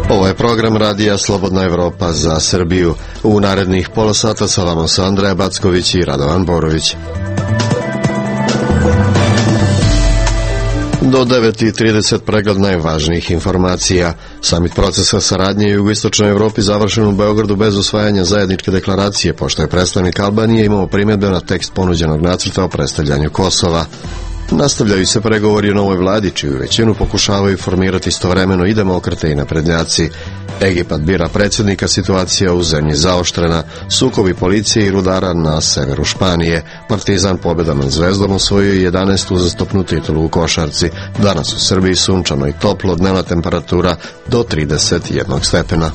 Ovo je program radija Slobodna Evropa za Srbiju. U narednih pola sata sa vama su Andreja Backović i Radovan Borović. Do 9:30 pregled najvažnijih informacija. Samit procesa saradnje u jugoistočnoj Evropi završen u Beogradu bez usvajanja zajedničke deklaracije, pošto je predstavnik Albanije imao primjedbe na tekst ponuđenog nacrta o predstavljanju Kosova. Nastavljaju se pregovori o novoj vladi, čiju većinu pokušavaju formirati istovremeno i demokrate i naprednjaci. Egipat bira predsjednika, situacija u zemlji zaoštrena, sukobi policije i rudara na severu Španije. Partizan pobjedom nad Zvezdom osvojio 11. uzastopnu titulu u košarci. Danas u Srbiji sunčano i toplo, dnevna temperatura do 31 stepena.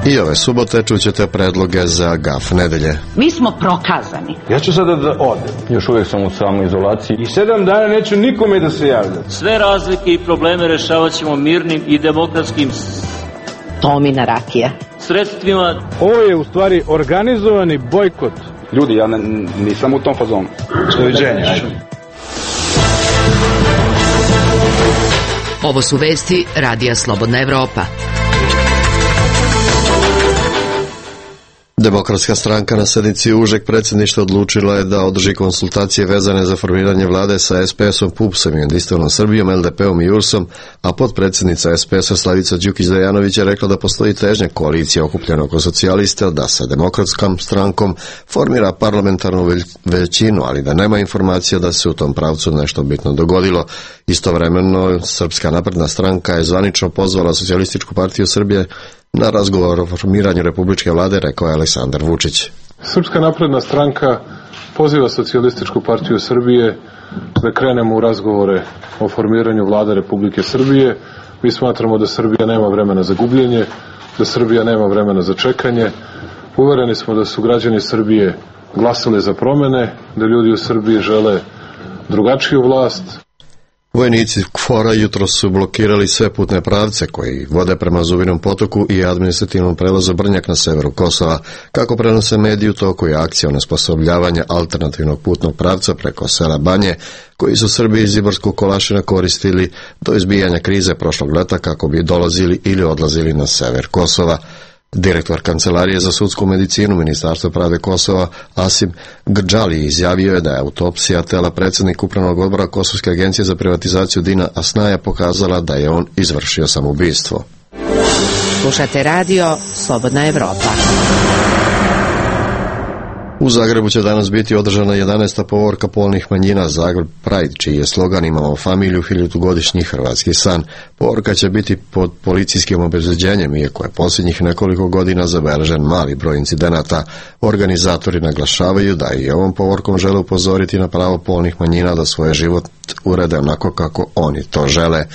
I ove subote čućete predloge za GAF nedelje. Mi smo prokazani. Ja ću sada da odem. Još uvijek sam u samoizolaciji. I 7 dana neću nikome da se javljam. Sve razlike i probleme rešavat ćemo mirnim i demokratskim Tomina rakija. sredstvima. Ovo je u stvari organizovani bojkot. Ljudi, ja nisam u tom fazonu. Doviđenja. Ovo su vesti Radija Slobodna Evropa. Demokratska stranka na sednici užeg predsjedništva odlučila je da održi konsultacije vezane za formiranje vlade sa SPS-om, PUPS-om i Jedinstvenom Srbijom, LDP-om i URS-om, a potpredsjednica SPS-a Slavica Đukić-Dejanović je rekla da postoji težnja koalicija okupljena oko socijalista da sa Demokratskom strankom formira parlamentarnu većinu, ali da nema informacija da se u tom pravcu nešto bitno dogodilo. Istovremeno, Srpska napredna stranka je zvanično pozvala Socijalističku partiju Srbije na razgovor o formiranju republičke vlade, rekao je Aleksandar Vučić. Srpska napredna stranka poziva Socijalističku partiju Srbije da krenemo u razgovore o formiranju vlade Republike Srbije. Mi smatramo da Srbija nema vremena za gubljenje, da Srbija nema vremena za čekanje. Uvereni smo da su građani Srbije glasali za promene, da ljudi u Srbiji žele drugačiju vlast. Vojnici KFOR-a jutro su blokirali sve putne pravce koji vode prema Zubinom potoku i administrativnom prelazu Brnjak na severu Kosova. Kako prenose mediji, u toku je akcija onesposobljavanja alternativnog putnog pravca preko sela Banje, koji su Srbi iz Ibarskog Kolašina koristili do izbijanja krize prošlog leta kako bi dolazili ili odlazili na sever Kosova. Direktor Kancelarije za sudsku medicinu Ministarstva pravde Kosova Asim Grđali izjavio je da je autopsija tela predsjednika Upravnog odbora Kosovske agencije za privatizaciju Dina Asnaja pokazala da je on izvršio samoubistvo. Slušate radio Slobodna Evropa. U Zagrebu će danas biti održana 11. povorka polnih manjina Zagreb Pride, čiji je slogan Imamo familiju, 1000-godišnji hrvatski san. Povorka će biti pod policijskim obezbeđenjem, iako je posljednjih nekoliko godina zabeležen mali broj incidenata. Organizatori naglašavaju da i ovom povorkom žele upozoriti na pravo polnih manjina da svoj život urede onako kako oni to žele.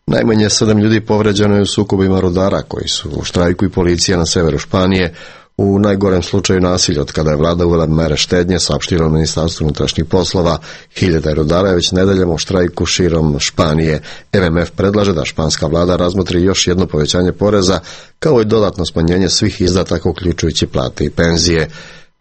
Najmanje 7 ljudi povređeno je u sukobima rudara koji su u štrajku i policija na severu Španije. U najgorem slučaju nasilja od kada je vlada uvela mere štednje, saopštilo Ministarstvo unutrašnjih poslova. 1000 rudara je već nedeljom u štrajku širom Španije. MMF predlaže da španska vlada razmotri još jedno povećanje poreza, kao i dodatno smanjenje svih izdataka uključujući plate i penzije.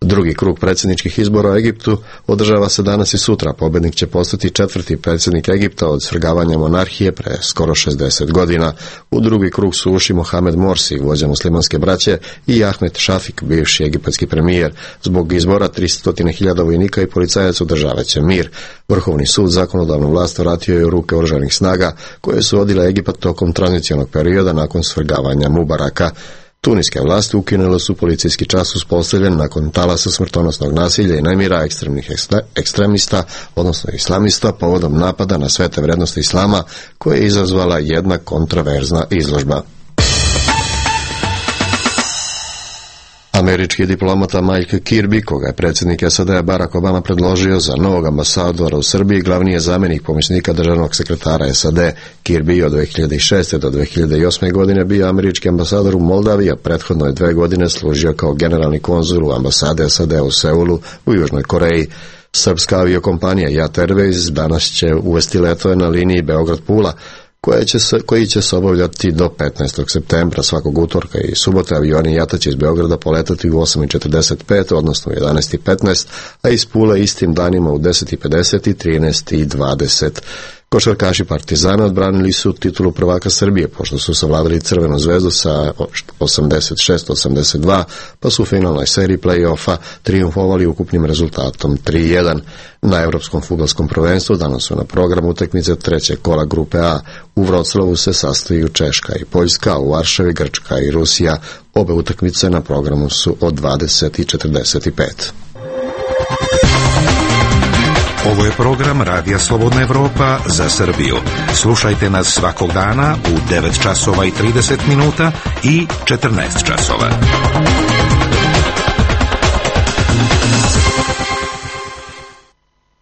Drugi krug predsjedničkih izbora u Egiptu održava se danas i sutra. Pobjednik će postati 4. predsjednik Egipta od svrgavanja monarhije pre skoro 60 godina. U drugi krug su ušli Mohamed Morsi, vođa muslimanske braće, i Ahmed Šafik, bivši egipatski premijer. Zbog izbora 300.000 vojnika i policajaca održavat će mir. Vrhovni sud zakonodavnu vlast vratio je u ruke oružanih snaga koje su vodile Egipat tokom tranzicionog perioda nakon svrgavanja Mubaraka. Tuniske vlasti ukinule su policijski čas uspostavljen nakon talasa smrtonosnog nasilja i nemira ekstremnih ekstremista, odnosno islamista, povodom napada na svete vrednosti islama koje je izazvala jedna kontroverzna izložba. Američki diplomata Mike Kirby, koga je predsjednik SAD-a Barack Obama predložio za novog ambasadora u Srbiji, glavni je zamjenik pomoćnika državnog sekretara SAD. Kirby od 2006. do 2008. godine bio američki ambasador u Moldaviji, a prethodno je 2 godine služio kao generalni konzul u ambasade SAD u Seulu u Južnoj Koreji. Srpska aviokompanija JAT Airways danas će uvesti letove na liniji Beograd-Pula. koji će se obavljati do 15. septembra. Svakog utorka i subote avioni JAT-a će iz Beograda poletati u 8:45, odnosno u 11:15, a iz Pule istim danima u 10:50 i 13:20. Košarkaši Partizana odbranili su titulu prvaka Srbije, pošto su savladali Crvenu zvezdu sa 86-82, pa su u finalnoj seriji play-offa trijumfovali ukupnim rezultatom 3:1. Na Evropskom fudbalskom prvenstvu danas su na programu utakmice trećeg kola grupe A. U Vroclavu se sastaju Češka i Poljska, u Varšavi Grčka i Rusija. Obe utakmice na programu su od 20:45. Ovo je program Radija Slobodna Evropa za Srbiju. Slušajte nas svakog dana u 9 časova i 30 minuta i 14 časova.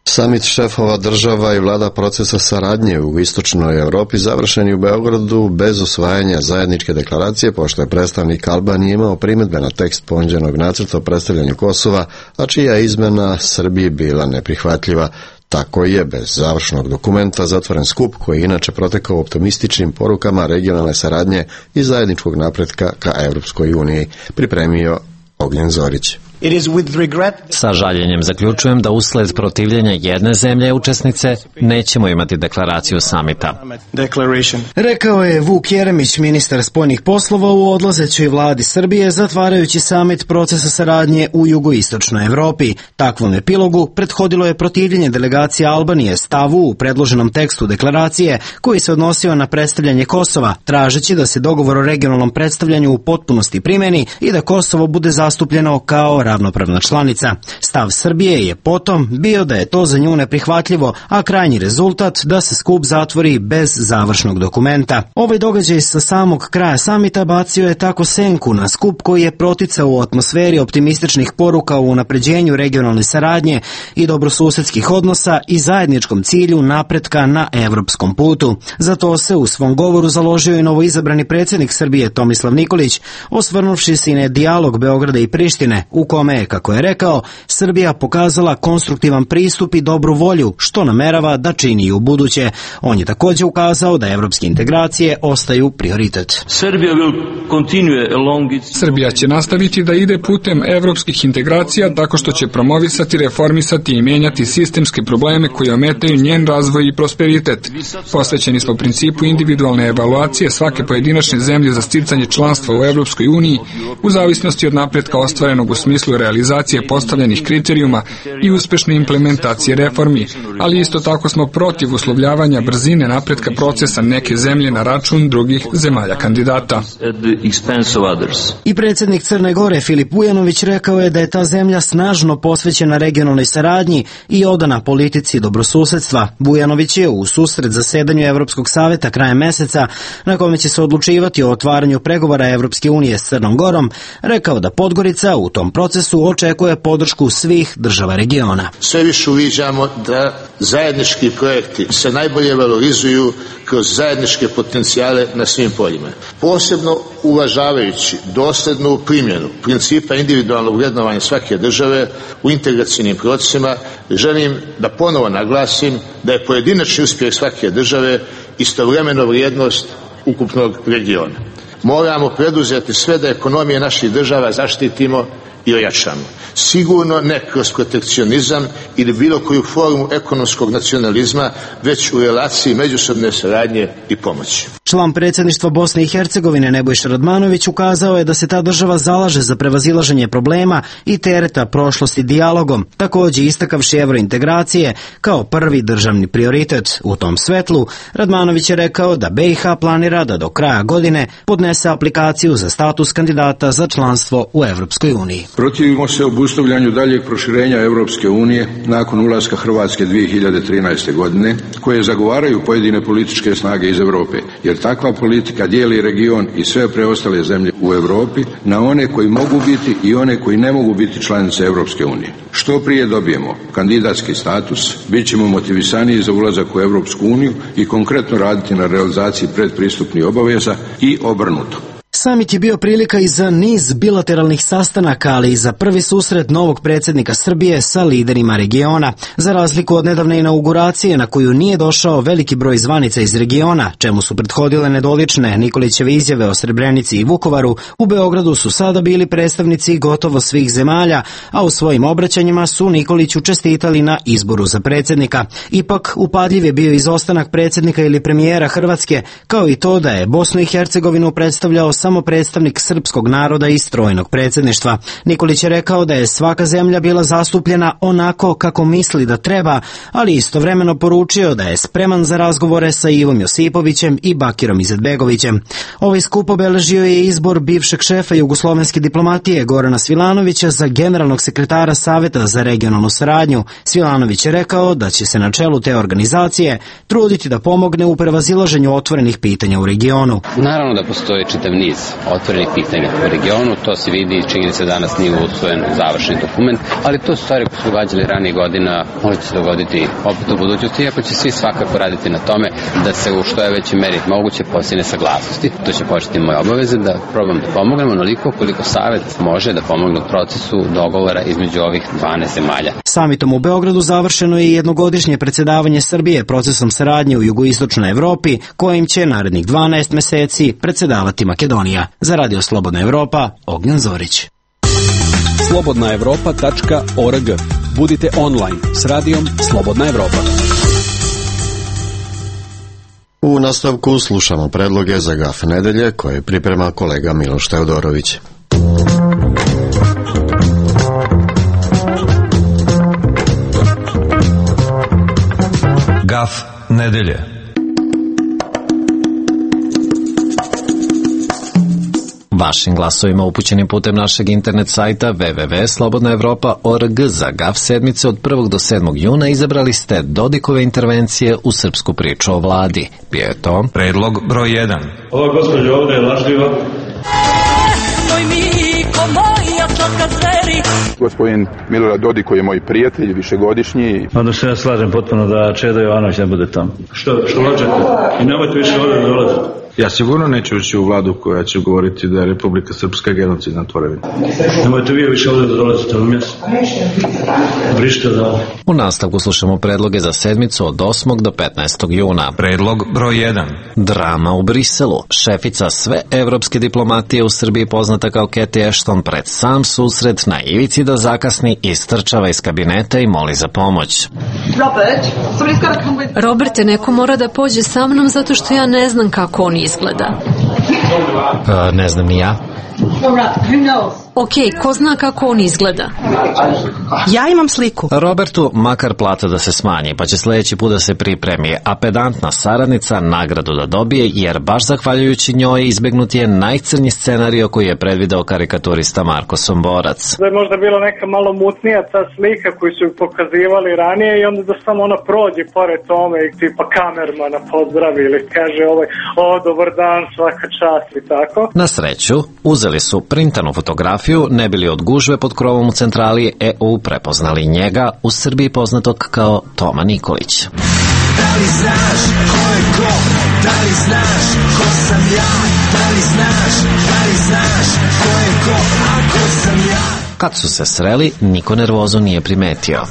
Samit šefova država i vlada procesa saradnje u istočnoj Evropi završen je u Beogradu bez usvajanja zajedničke deklaracije, pošto je predstavnik Albanije imao primedbe na tekst ponuđenog nacrta o predstavljanju Kosova, a čija je izmena Srbiji bila neprihvatljiva. Tako je bez završnog dokumenta zatvoren skup koji je inače protekao optimističnim porukama regionalne saradnje i zajedničkog napretka ka Evropskoj uniji, pripremio Ognjen Zorić. Sa žaljenjem zaključujem da usled protivljenja jedne zemlje učesnice nećemo imati deklaraciju samita. Rekao je Vuk Jeremić, ministar spoljnih poslova u odlazećoj vladi Srbije, zatvarajući samit procesa saradnje u jugoistočnoj Evropi. Takvom epilogu prethodilo je protivljenje delegacije Albanije stavu u predloženom tekstu deklaracije koji se odnosio na predstavljanje Kosova, tražeći da se dogovor o regionalnom predstavljanju u potpunosti primeni i da Kosovo bude zastupljeno kao ravnopravna članica. Stav Srbije je potom bio da je to za nju neprihvatljivo, a krajnji rezultat da se skup zatvori bez završnog dokumenta. Ovaj događaj sa samog kraja samita bacio je tako senku na skup koji je proticao u atmosferi optimističnih poruka u unapređenju regionalne saradnje i dobrosusedskih odnosa i zajedničkom cilju napretka na evropskom putu. Zato se u svom govoru založio i novoizabrani predsjednik Srbije Tomislav Nikolić, osvrnuvši se i na dijalog Beograda i Prištine, u kome je, kako je rekao, Srbija pokazala konstruktivan pristup i dobru volju, što namerava da čini i u buduće. On je također ukazao da evropske integracije ostaju prioritet. Srbija će nastaviti da ide putem evropskih integracija tako što će promovisati, reformisati i mijenjati sistemske probleme koji ometaju njen razvoj i prosperitet. Posvećeni smo principu individualne evaluacije svake pojedinačne zemlje za sticanje članstva u Evropskoj uniji u zavisnosti od napretka ostvarenog u smislu realizacije postavljenih kriterijuma i uspešne implementacije reformi, ali isto tako smo protiv uslovljavanja brzine napretka procesa neke zemlje na račun drugih zemalja kandidata. I predsjednik Crne Gore Filip Vujanović rekao je da je ta zemlja snažno posvećena regionalnoj saradnji i odana politici dobrosusedstva. Vujanović je u susret zasedanju Evropskog saveta krajem meseca, na kome će se odlučivati o otvaranju pregovora Evropske unije s Crnom Gorom, rekao da Podgorica u tom procesu očekuje podršku svih država regiona. Sve više uviđamo da zajednički projekti se najbolje valorizuju kroz zajedničke potencijale na svim poljima. Posebno uvažavajući dosljednu primjenu principa individualnog vrednovanja svake države u integracijnim procesima, želim da ponovo naglasim da je pojedinačni uspjeh svake države istovremeno vrijednost ukupnog regiona. Moramo preduzeti sve da ekonomije naših država zaštitimo i ojačamo. Sigurno ne kroz protekcionizam ili bilo koju formu ekonomskog nacionalizma, već u relaciji međusobne saradnje i pomoći. Član predsjedništva Bosne i Hercegovine Nebojša Radmanović ukazao je da se ta država zalaže za prevazilaženje problema i tereta prošlosti dijalogom, također istakavši evrointegracije kao prvi državni prioritet. U tom svetlu Radmanović je rekao da BiH planira da do kraja godine podnese aplikaciju za status kandidata za članstvo u Evropskoj uniji. Protivimo se obustavljanju daljeg proširenja Evropske unije nakon ulaska Hrvatske 2013. godine, koje zagovaraju pojedine političke snage iz Europe, jer takva politika dijeli region i sve preostale zemlje u Europi na one koji mogu biti i one koji ne mogu biti članice Evropske unije. Što prije dobijemo kandidatski status, bit ćemo motivisaniji za ulazak u Evropsku uniju i konkretno raditi na realizaciji predpristupnih obaveza i obrnuto. Samit je bio prilika i za niz bilateralnih sastanaka, ali i za prvi susret novog predsjednika Srbije sa liderima regiona. Za razliku od nedavne inauguracije na koju nije došao veliki broj zvanica iz regiona, čemu su prethodile nedolične Nikolićeve izjave o Srebrenici i Vukovaru, u Beogradu su sada bili predstavnici gotovo svih zemalja, a u svojim obraćanjima su Nikoliću čestitali na izboru za predsjednika. Ipak, upadljiv je bio izostanak predsjednika ili premijera Hrvatske, kao i to da je Bosnu i Hercegovinu predstavljao samo predstavnik srpskog naroda i strojnog predsjedništva. Nikolić je rekao da je svaka zemlja bila zastupljena onako kako misli da treba, ali istovremeno poručio da je spreman za razgovore sa Ivom Josipovićem i Bakirom Izetbegovićem. Ovaj skup obeležio je izbor bivšeg šefa jugoslovenske diplomatije Gorana Svilanovića za generalnog sekretara Saveta za regionalnu saradnju. Svilanović je rekao da će se na čelu te organizacije truditi da pomogne u prevazilaženju otvorenih pitanja u regionu. Naravno da postoji čitav niz otvorenih pitanja u regionu, to se vidi, činjenica danas nije usvojen završni dokument, ali to su stvari koje su događale ranije godina, može se dogoditi opet u budućnosti, iako će svi svakako raditi na tome da se u što je veći meri moguće postigne saglasnosti. To će početi moje obaveze da probam da pomognemo onoliko koliko Savet može da pomogne u procesu dogovora između ovih 12 zemalja. Samitom u Beogradu završeno je jednogodišnje predsjedavanje Srbije procesom saradnje u jugoistočnoj Evropi, kojim će narednih 12 meseci predsjedavati Makedonija. Za Radio Slobodna Evropa, Ognjan Zorić. slobodnaevropa.org. Budite online s radijom Slobodna Evropa. U nastavku slušamo predloge za GAF nedelje koje priprema kolega Miloš Teodorović. GAF nedelje. Vašim glasovima upućenim putem našeg internet sajta www.slobodnaevropa.org za GAF sedmice od 1. do 7. juna izabrali ste Dodikove intervencije u srpsku priču o vladi. Bio je to predlog broj 1. Ova gospođa ovdje je lažljiva. Gospodin Milorad Dodik, koji je moj prijatelj, višegodišnji. Onda se ja slažem potpuno da Čeda Jovanović ne bude tamo. Što lažete? I nemojte više ovdje da dolazite. Ja sigurno neću ući u vladu koja će govoriti da je Republika Srpska genocidna tvorevina. Nemojte vi više ovdje da dolazite na mjesto. Brište da ovdje. U nastavku slušamo predloge za sedmicu od 8. do 15. juna. Predlog broj 1. Drama u Briselu. Šefica sve evropske diplomatije u Srbiji poznata kao Cathy Ashton pred sam susret na ivici da zakasni istrčava iz kabineta i moli za pomoć. Roberte, neko mora da pođe sa mnom zato što ja ne znam kako on izgleda. Ne znam ni ja. Ok, ko zna kako on izgleda? Ja imam sliku. Robertu makar plata da se smanji, pa će sljedeći put da se pripremi, a pedantna saradnica nagradu da dobije, jer baš zahvaljujući njoj izbegnut je najcrnji scenario koji je predvideo karikaturista Marko Somborac. Da je možda bila neka malo mutnija ta slika koju su pokazivali ranije i onda da samo ona prođe pored tome i tipa kamermana pozdravi ili kaže dobar dan, svaka čast i tako. Na sreću, uzeli su printanu fotografiju, ne bili od gužve pod krovom u centrali EU prepoznali njega, u Srbiji poznatog kao Toma Nikolić. Da li znaš ko je ko? Da li znaš ko sam ja? Da li znaš ko je ko? A ko sam ja? Kad su se sreli, niko nervozu nije primetio.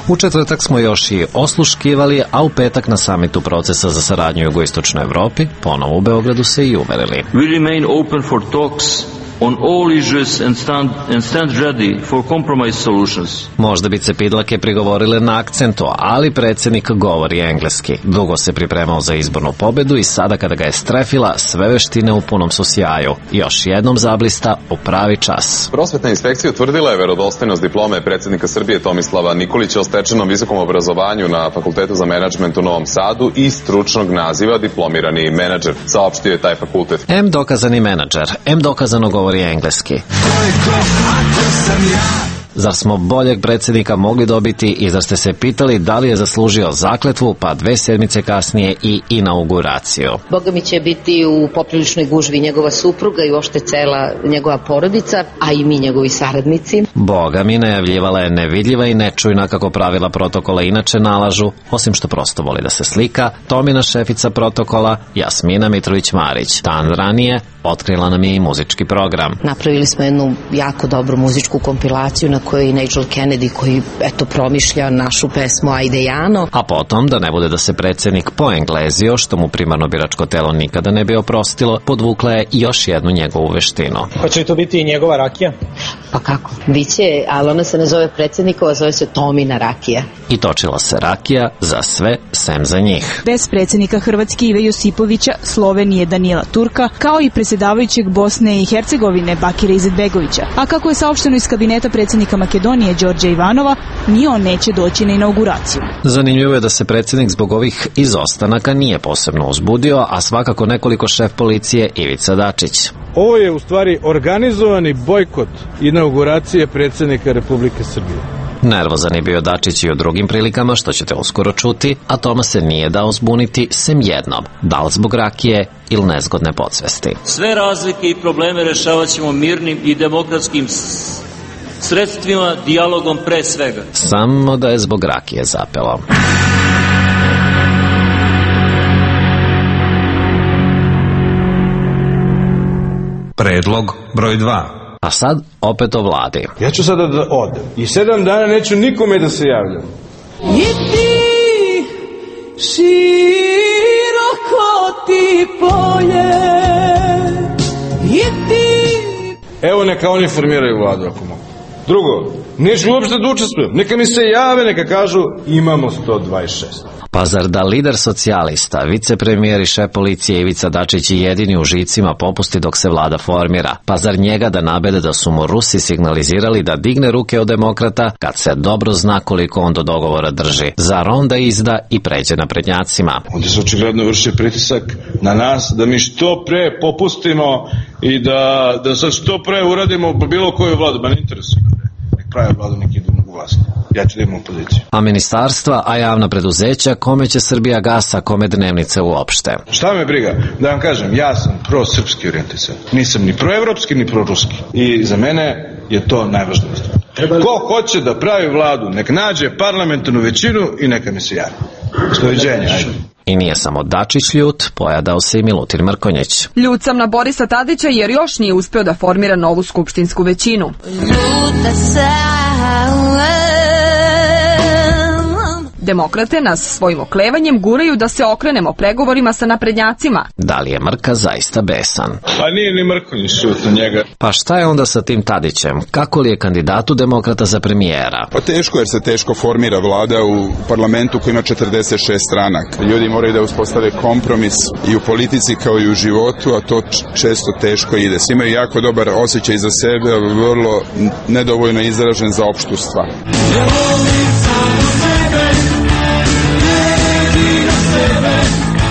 U četvrtak smo još i osluškivali, a u petak na samitu procesa za saradnju u jugoistočnoj Evropi, ponovo u Beogradu se i uverili. We remain open for talks on all issues and stand ready for compromise solutions. Možda bi cepidlake prigovorile na akcentu, ali predsjednik govori engleski. Dugo se pripremao za izbornu pobedu i sada kada ga je strefila, sve veštine u punom su sjaju. Još jednom zablista u pravi čas. Prosvetna inspekcija utvrdila je verodostojnost diplome predsjednika Srbije Tomislava Nikolića o stečenom visokom obrazovanju na Fakultetu za menadžment u Novom Sadu i stručnog naziva diplomirani menadžer. Saopštio je taj fakultet. M dokazani menadžer, M dokazano govori engleski. Zar smo boljeg predsjednika mogli dobiti i zar ste se pitali da li je zaslužio zakletvu, pa 2 sedmice kasnije i inauguraciju? Boga mi će biti u popriličnoj gužvi njegova supruga i uopšte cela njegova porodica, a i mi njegovi saradnici. Boga mi najavljivala je nevidljiva i nečujna kako pravila protokola inače nalažu, osim što prosto voli da se slika, Tomina šefica protokola Jasmina Mitrović-Marić. Dan ranije otkrila nam je i muzički program. Napravili smo jednu jako dobru muzičku kompilaciju na kojoj i Nigel Kennedy koji promišlja našu pesmu Ajde Jano. A potom, da ne bude da se predsjednik poenglezio, što mu primarno biračko telo nikada ne bi oprostilo, podvukla je još jednu njegovu veštinu. Hoće li to biti i njegova rakija? Pa kako? Biće, ali ona se ne zove predsjednikova, zove se Tomina rakija. I točila se rakija za sve, sem za njih. Bez predsjednika Hrvatske Ive Josipovića, Slovenije Danila Turka, kao i predsjedavajućeg Bosne i Hercegovine Bakira Izetbegovića. A kako je saopšteno iz kabineta predsjednika Makedonije Đorđa Ivanova, ni on neće doći na inauguraciju. Zanimljivo je da se predsjednik zbog ovih izostanaka nije posebno uzbudio, a svakako nekoliko šef policije Ivica Dačić. Ovo je u stvari organizovani bojkot inauguracije predsjednika Republike Srbije. Nervozan je bio Dačić i u drugim prilikama, što ćete uskoro čuti, a Toma se nije dao zbuniti sem jednom, da li zbog rakije ili nezgodne podsvesti. Sve razlike i probleme rešavat ćemo mirnim i demokratskim sredstvima, dijalogom pre svega. Samo da je zbog rakije zapelo. Predlog broj 2. A sad opet o vladi. Ja ću sada da odem i 7 dana neću nikome da se javljam. I ti široko ti polje, i ti... Evo neka oni formiraju vladu ako mogu. Drugo, neću uopšte da učestvujem. Neka mi se jave, neka kažu imamo 126. Pa zar da lider socijalista, vicepremijer i šef policije Ivica Dačić je jedini u žicima popusti dok se vlada formira? Pa zar njega da nabede da su mu Rusi signalizirali da digne ruke od demokrata kad se dobro zna koliko on do dogovora drži? Zar onda izda i pređe naprednjacima? Onda se očigledno vrši pritisak na nas da mi što pre popustimo i da sad što pre uradimo bilo koju vladu. Ma ne interesuje. Nek pravi vladu, nek idu u vlast. Ja ću da imam opoziciju. A ministarstva, a javna preduzeća, kome će Srbija gasa, kome dnevnice uopšte? Šta me briga? Da vam kažem, ja sam prosrpski orijentisan. Nisam ni proevropski, ni proruski. I za mene je to najvažnije. Ko hoće da pravi vladu, nek nađe parlamentarnu većinu i neka mi se javi. Doviđenja, ajde. I nije samo Dačić ljut, pojadao se i Milutin Mrkonjić. Ljut sam na Borisa Tadića jer još nije uspeo da formira novu skupštinsku većinu. Ljuta sam. Demokrate nas svojim oklevanjem guraju da se okrenemo pregovorima sa naprednjacima. Da li je Mrka zaista besan? Pa nije ni Mrkonjić šut na njega. Pa šta je onda sa tim Tadićem? Kako li je kandidatu demokrata za premijera? Pa teško, jer se teško formira vlada u parlamentu koji ima 46 stranaka. Ljudi moraju da uspostave kompromis i u politici kao i u životu, a to često teško ide. Imaju jako dobar osjećaj za sebe, ali vrlo nedovoljno izražen za opštu stvar.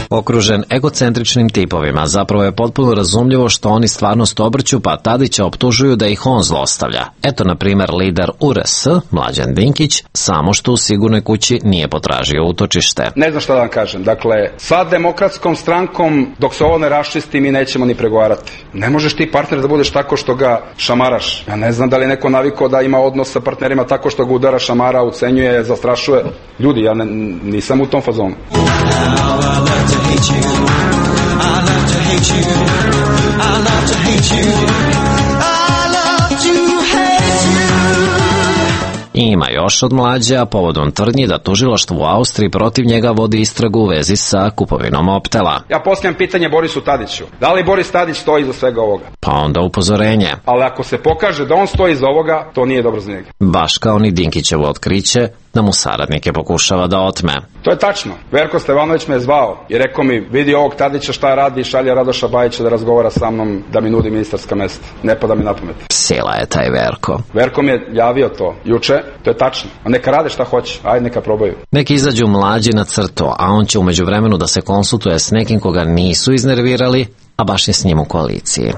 Okružen egocentričnim tipovima, zapravo je potpuno razumljivo što oni stvarnost obrću, pa Tadića optužuju da ih on zlostavlja. Eto, na primjer, lider URS, Mlađan Dinkić, samo što u Sigurnoj kući nije potražio utočište. Ne znam šta da vam kažem. Dakle, sa Demokratskom strankom, dok se ovo ne raščisti, mi nećemo ni pregovarati. Ne možeš ti partner da budeš tako što ga šamaraš. Ja ne znam da li neko navikao da ima odnos sa partnerima tako što ga udara, šamara, ucenjuje, zastrašuje. Ljudi, ja nisam u tom fazonu. I ima još od Mlađa povodom tvrdnji da tužilaštvo u Austriji protiv njega vodi istragu u vezi sa kupovinom Optela. Ja postavljam pitanje Borisu Tadiću. Da li Boris Tadić stoji iza svega ovoga? Pa onda upozorenje. Ali ako se pokaže da on stoji iza ovoga, to nije dobro za njega. Baš kao ni Dinkićevo otkriće da mu saradnike pokušava da otme. To je tačno. Verko Stevanović me je zvao i rekao mi, vidi ovog Tadića šta radi, šalje Radoša Bajića da razgovara sa mnom, da mi nudi ministarska mesta. Ne pada mi na pamet. Psila je taj Verko. Verko mi je javio to juče, to je tačno. A neka rade šta hoće, ajde neka probaju. Neki izađu Mlađi na crtu, a on će umeđu vremenu da se konsultuje s nekim koga nisu iznervirali, a baš je s njim u koaliciji.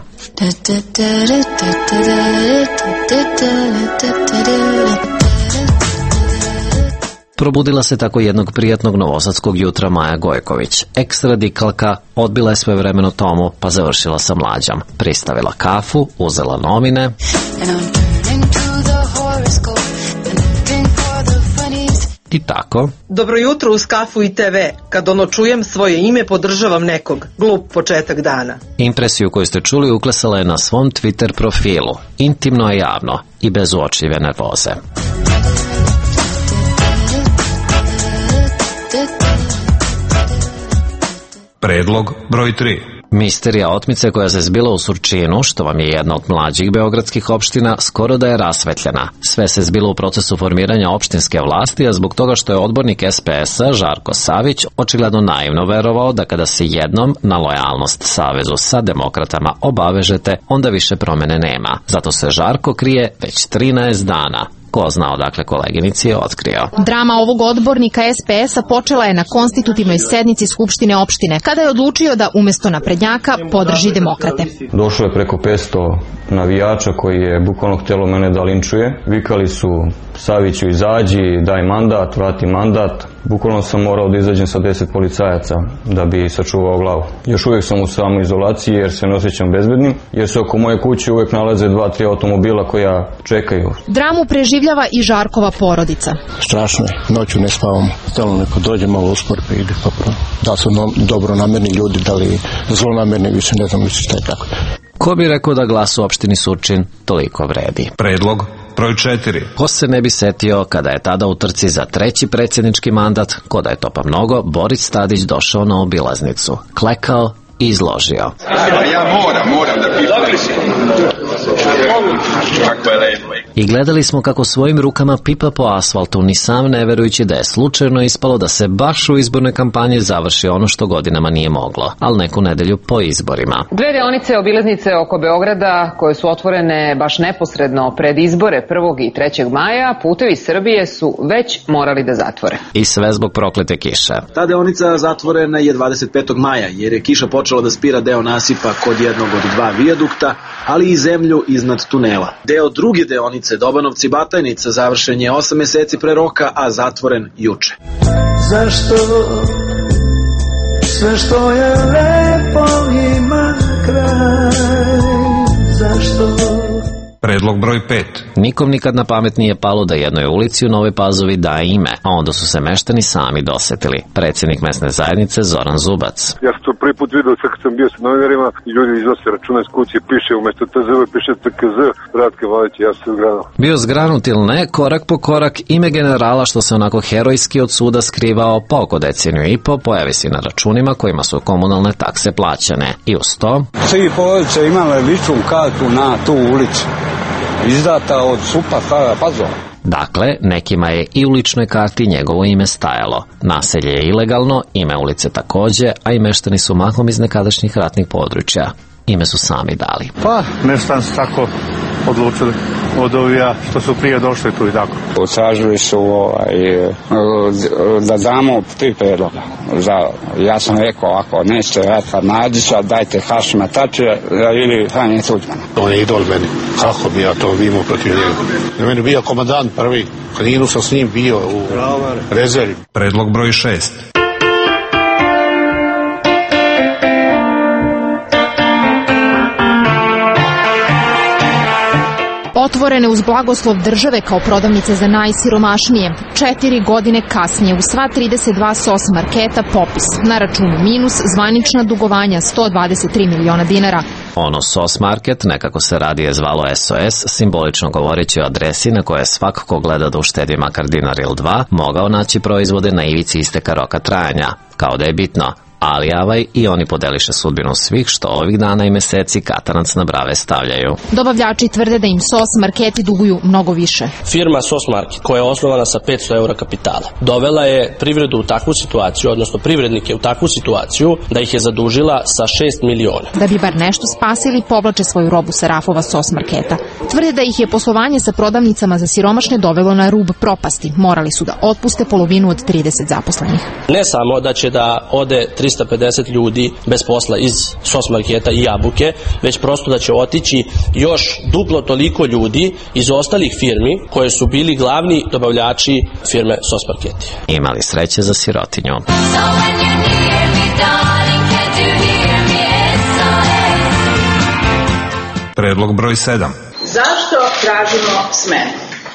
Probudila se tako jednog prijatnog novosadskog jutra Maja Gojković. Ex-radikalka odbila je svojevremeno Tomu, pa završila sa Mlađom. Pristavila kafu, uzela novine i tako. Dobro jutro uz kafu i TV. Kad čujem svoje ime, podržavam nekog. Glup početak dana. Impresiju koju ste čuli uklesala je na svom Twitter profilu. Intimno je javno i bez uočljive nervoze. Predlog broj 3. Misterija otmice koja se zbila u Surčinu, što vam je jedna od mlađih beogradskih opština, skoro da je rasvetljena. Sve se zbilo u procesu formiranja opštinske vlasti, a zbog toga što je odbornik SPS-a Žarko Savić očigledno naivno verovao da kada se jednom na lojalnost savezu sa demokratama obavežete, onda više promene nema. Zato se Žarko krije već 13 dana. Ko zna odakle koleginici je otkrio. Drama ovog odbornika SPS-a počela je na konstitutivnoj sednici Skupštine opštine, kada je odlučio da umesto naprednjaka podrži demokrate. Došlo je preko 500 navijača koji je bukvalno htjelo mene da linčuje. Vikali su Saviću izađi, daj mandat, vrati mandat. Bukvalno sam morao da izađem sa 10 policajaca da bi sačuvao glavu. Još uvijek sam u samoizolaciji jer se ne osjećam bezbednim, jer se oko moje kuće uvijek nalaze 2-3 automobila koja čekaju. Dramu preživljava i Žarkova porodica. Strašno je, noću ne spavamo. Stalno neko dođe, malo uspor pa ide pa prvo. Da li su dobronamerni ljudi, da li zlonamerni, više ne znam više šta je tako. Ko bi rekao da glas u opštini Surčin toliko vredi? Predlog broj 4. Ko se ne bi setio kada je tada u trci za 3. predsjednički mandat, ko da je to pa mnogo, Boris Tadić došao na obilaznicu, klekao i izložio. Ja moram da pitam. Kako je lepo. I gledali smo kako svojim rukama pipa po asfaltu, ni sam ne verujući da je slučajno ispalo da se baš u izbornoj kampanji završi ono što godinama nije moglo, ali neku nedelju po izborima. 2 deonice obilaznice oko Beograda, koje su otvorene baš neposredno pred izbore 1. i 3. maja, Putevi Srbije su već morali da zatvore. I sve zbog proklete kiše. Ta deonica zatvorena je 25. maja, jer je kiša počela da spira deo nasipa kod jednog od 2 vijadukta, ali i zemlju iznad tunela. Deo druge deonice Dobanovci-Batajnica završen je 8 meseci pre roka, a zatvoren juče. Zašto sve što je lepo ima kraj? Zašto? Predlog broj 5. Nikom nikad na pamet nije palo da jednoj ulici u Novoj Pazovi daje ime, a onda su se meštani sami dosetili. Predsjednik mesne zajednice Zoran Zubac. Ja sam to prvi put vidio sve kad sam bio sa novinarima i ljudi iznose računa iz kuće, piše umesto TZV, piše TKZ, Ratke Vladić, ja sam zgranut. Bio zgranut ili ne, korak po korak, ime generala što se onako herojski od suda skrivao pa oko deceniju i po pojavi se na računima kojima su komunalne takse plaćane. I uz to... 3 porodice imale ličnu kartu na tu ulicu. Izdata od SUP-a Stara Pazova. Dakle, nekima je i u ličnoj karti njegovo ime stajalo. Naselje je ilegalno, ime ulice takođe, a i meštani su mahom iz nekadašnjih ratnih područja. Ime su sami dali. Pa, meštani su tako odlučili od ovija što su prije došli tu i tako. Utražili su da damo 3 predloga. Ja sam rekao, ako nećete Ratka Mladića, dajte Hašima Tačija ili Franje Tuđmana. On je idol meni. Kako bi ja to imao protiv njega? Na meni bio komandant prvi. Kaninu sam s njim bio u rezervi. Predlog broj 6. Otvorene uz blagoslov države kao prodavnice za najsiromašnije. 4 godine kasnije u sva 32 SOS marketa popis. Na računu minus, zvanična dugovanja 123 miliona dinara. Ono SOS market, nekako se radije zvalo SOS, simbolično govoreći o adresi na kojoj svak ko gleda da uštedi makar dinar ili 2, mogao naći proizvode na ivici isteka roka trajanja. Kao da je bitno. Ali avaj i oni podeliše sudbinu svih što ovih dana i meseci katanac na brave stavljaju. Dobavljači tvrde da im SOS marketi duguju mnogo više. Firma SOS Market, koja je osnovana sa 500 eura kapitala, dovela je privredu u takvu situaciju, odnosno privrednike u takvu situaciju da ih je zadužila sa 6 miliona. Da bi bar nešto spasili, povlače svoju robu sa rafova SOS marketa. Tvrde da ih je poslovanje sa prodavnicama za siromašne dovelo na rub propasti. Morali su da otpuste polovinu od 30 zaposlenih. Ne samo da će da ode 300 350 ljudi bez posla iz SOS marketa i Jabuke, već prosto da će otići još duplo toliko ljudi iz ostalih firmi koje su bili glavni dobavljači firme SOS marketi. Imali sreće za sirotinju. Predlog broj 7. Zašto tražimo smenu?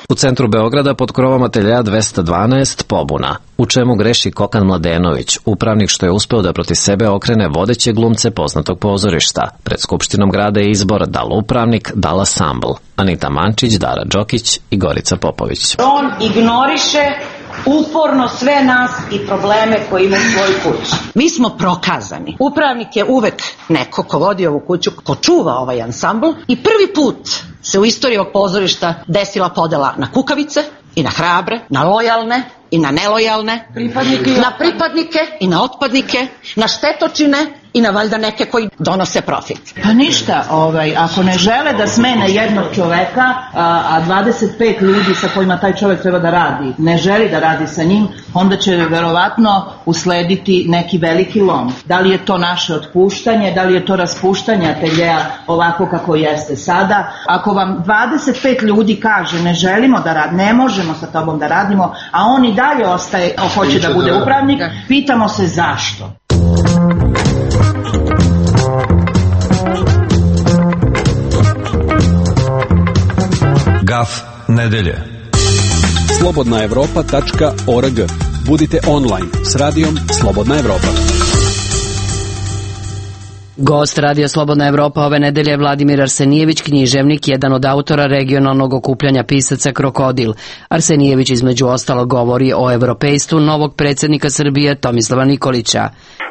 U centru Beograda pod krovom ateljea 212 pobuna. U čemu greši Kokan Mladenović, upravnik što je uspeo da protiv sebe okrene vodeće glumce poznatog pozorišta. Pred Skupštinom grada je izbor da li upravnik, da li ansambl. Anita Mančić, Dara Đokić i Gorica Popović. On ignoriše uporno sve nas i probleme koje ima u svojoj kući. Mi smo prokazani. Upravnik je uvek neko ko vodi ovu kuću, ko čuva ovaj ansambl i prvi put se u istoriji ovog pozorišta desila podela na kukavice i na hrabre, na lojalne i na nelojalne, na pripadnike i na otpadnike, na štetočine i na valjda neke koji donose profit. Pa ništa, ako ne žele da smene jednog čoveka, a 25 ljudi sa kojima taj čovek treba da radi, ne želi da radi sa njim, onda će verovatno uslediti neki veliki lom. Da li je to naše otpuštanje, da li je to raspuštanje ateljea ovako kako jeste sada. Ako vam 25 ljudi kaže ne želimo da radimo, ne možemo sa tobom da radimo, a on i dalje ostaje, hoće da bude upravnik, pitamo se zašto. Gaf nedelje. slobodnaevropa.org. Budite online s radijom Slobodna Evropa. Gost Radija Slobodna Evropa ove nedelje je Vladimir Arsenijević, književnik, jedan od autora regionalnog okupljanja pisaca Krokodil. Arsenijević između ostalo govori o evropejstvu novog predsjednika Srbije Tomislava Nikolića.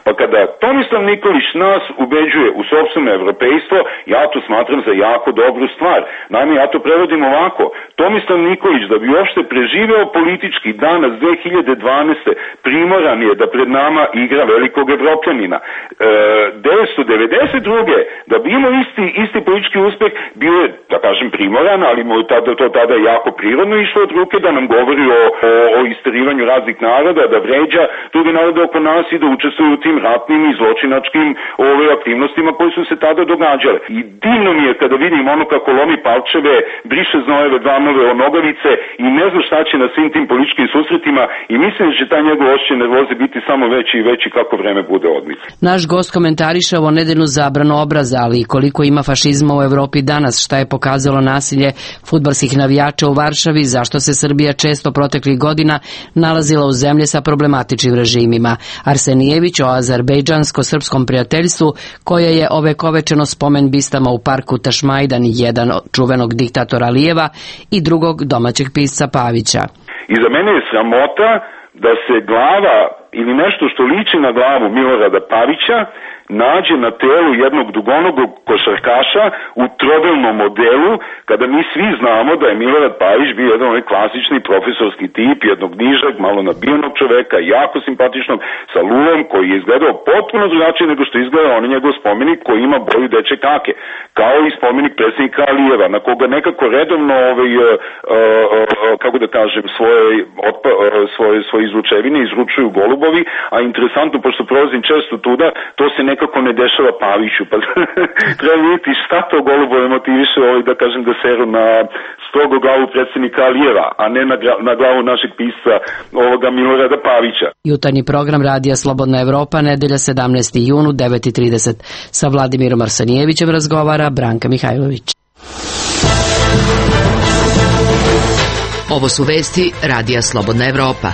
Pa kada Tomislav Nikolić nas ubeđuje u sopstveno evropejstvo, ja to smatram za jako dobru stvar. Naime, ja to prevodim ovako. Tomislav Nikolić, da bi uopšte preživeo politički danas 2012. primoran je da pred nama igra velikog evropljanina. 1992. da bi imao isti politički uspeh, bio je, da kažem, primoran, ali mu je to tada jako prirodno išlo od ruke da nam govori o isterivanju raznih naroda, da vređa druge narode oko nas i da učestvuju u tim ratnim i zločinačkim aktivnostima koje su se tada događale. I divno mi je kada vidim ono kako lomi palčeve, briše znojeve, dlanove, nogavice i ne zna šta će na svim tim političkim susretima i mislim da će taj njegov osjećaj nervoze biti samo veći i veći kako vreme bude odmiče. Naš gost komentariše ovo nedeljnu zabranu obraza, ali i koliko ima fašizma u Evropi danas, šta je pokazalo nasilje fudbalskih navijača u Varšavi, zašto se Srbija često proteklih godina nalazila u zemlji sa problematičnim režimima. Arsenijević o azerbejdžansko-srpskom prijateljstvu koje je ovekovečeno spomen bistama u parku Tašmajdan, jedan od čuvenog diktatora Alijeva i drugog domaćeg pisca Pavića. I za mene je sramota da se glava ili nešto što liči na glavu Milorada Pavića nađe na telu jednog dugonogog košarkaša u trodelnom modelu, kada mi svi znamo da je Milorad Pavić bio jedan onaj klasični profesorski tip, jednog nižeg, malo nabijenog čoveka, jako simpatičnog, sa lulom, koji je izgledao potpuno drugačije nego što izgleda on njegov spomenik koji ima boju deče kake, kao i spomenik predsjednika Alijeva, na koga nekako redovno kako da kažem, svoje izručevine izručuju golubovi, a interesantno, pošto prolazim često tuda, to se nekako ne dešava Paviću, pa treba vidjeti šta to golubove motiviše da kažem da seru na strogo glavu predsjednika Alijeva, a ne na glavu našeg pisca Milorada Pavića. Jutarnji program Radija Slobodna Evropa, nedelja 17. junu, 9:30. Sa Vladimirom Arsenijevićem razgovara Branka Mihajlović. Ovo su vesti Radija Slobodna Evropa.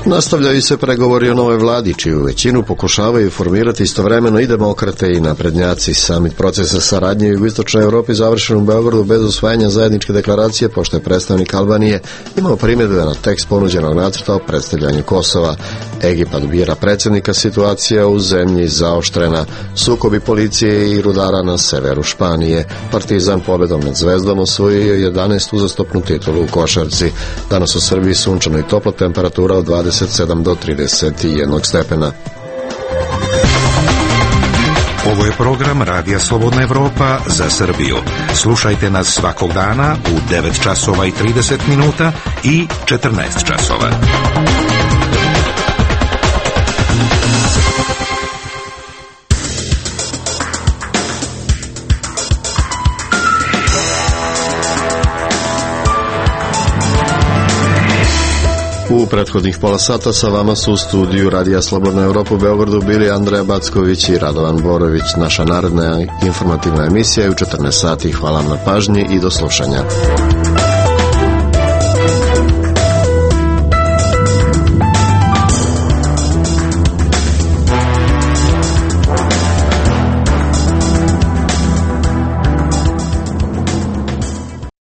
Nastavljaju se pregovori o novoj vladi, čiju većinu pokušavaju formirati istovremeno i demokrate i naprednjaci. Samit procesa saradnje u jugoistočnoj Evropi završen u Beogradu bez usvajanja zajedničke deklaracije, pošto je predstavnik Albanije imao primjedbe na tekst ponuđenog nacrta o predstavljanju Kosova. Egipat bira predsjednika, situacija u zemlji zaoštrena, sukobi policije i rudara na severu Španije. Partizan pobedom nad Zvezdom osvojio 11. uzastopnu titulu u košarci. Danas u Srbiji sunčano i topla, temperatura od 27 do 31 stepena. Ovo je program Radija Slobodna Evropa za Srbiju. Slušajte nas svakog dana u 9 časova i 30 minuta i 14 časova. U prethodnih pola sata sa vama su u studiju Radija Slobodna Evropa u Beogradu bili Andreja Backović i Radovan Borović. Naša naredna informativna emisija je u 14 sati. Hvala vam na pažnji i do slušanja.